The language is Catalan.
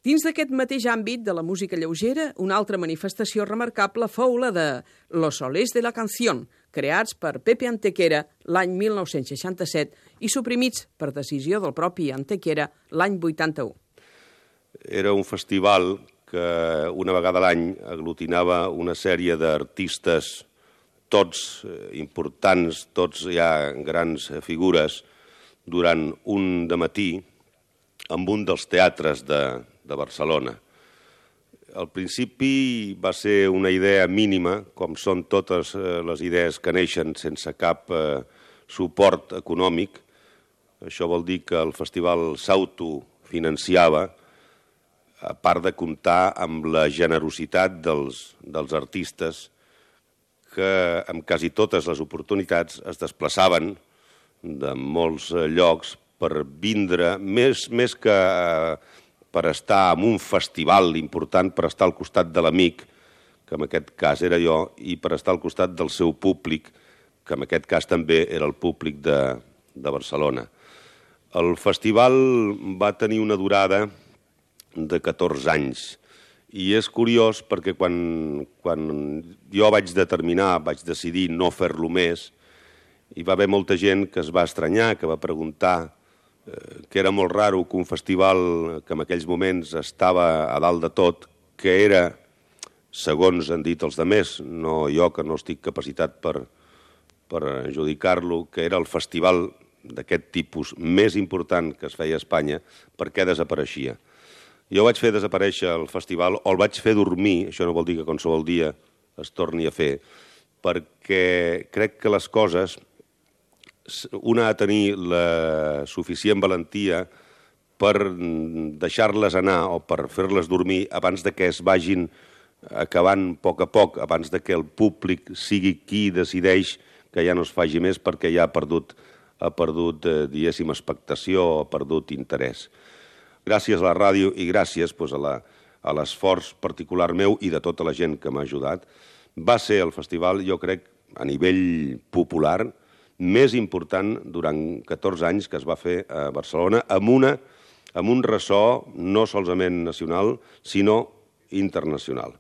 Dins d'aquest mateix àmbit de la música lleugera, una altra manifestació remarcable fou la de Los Solers de la Canción, creats per Pepe Antequera l'any 1967 i suprimits per decisió del propi Antequera l'any 81. Era un festival que una vegada a l'any aglutinava una sèrie d'artistes, tots importants, tots ja grans figures, durant un dematí en un dels teatres de Barcelona. Al principi va ser una idea mínima, com són totes les idees que neixen sense cap suport econòmic. Això vol dir que el festival s'autofinanciava, a part de comptar amb la generositat dels artistes que amb quasi totes les oportunitats es desplaçaven de molts llocs per vindre, més que per estar en un festival important, per estar al costat de l'amic, que en aquest cas era jo, i per estar al costat del seu públic, que en aquest cas també era el públic de Barcelona. El festival va tenir una durada de 14 anys, i és curiós perquè quan jo vaig decidir no fer-lo més, hi va haver molta gent que es va estranyar, que va preguntar que era molt raro que un festival que en aquells moments estava a dalt de tot, que era, segons han dit els altres, no jo que no estic capacitat per adjudicar-lo, que era el festival d'aquest tipus més important que es feia a Espanya, per què desapareixia. Jo vaig fer desaparèixer el festival, o el vaig fer dormir, això no vol dir que qualsevol dia es torni a fer, perquè crec que les coses una ha de tenir la suficient valentia per deixar-les anar o per fer-les dormir abans de que es vagin acabant a poc, abans de que el públic sigui qui decideix que ja no es faci més perquè ja ha perdut diguéssim, expectació o ha perdut interès. Gràcies a la ràdio i gràcies a l'esforç particular meu i de tota la gent que m'ha ajudat, va ser el festival, jo crec, a nivell popular, més important durant 14 anys que es va fer a Barcelona amb un ressò no solament nacional, sinó internacional.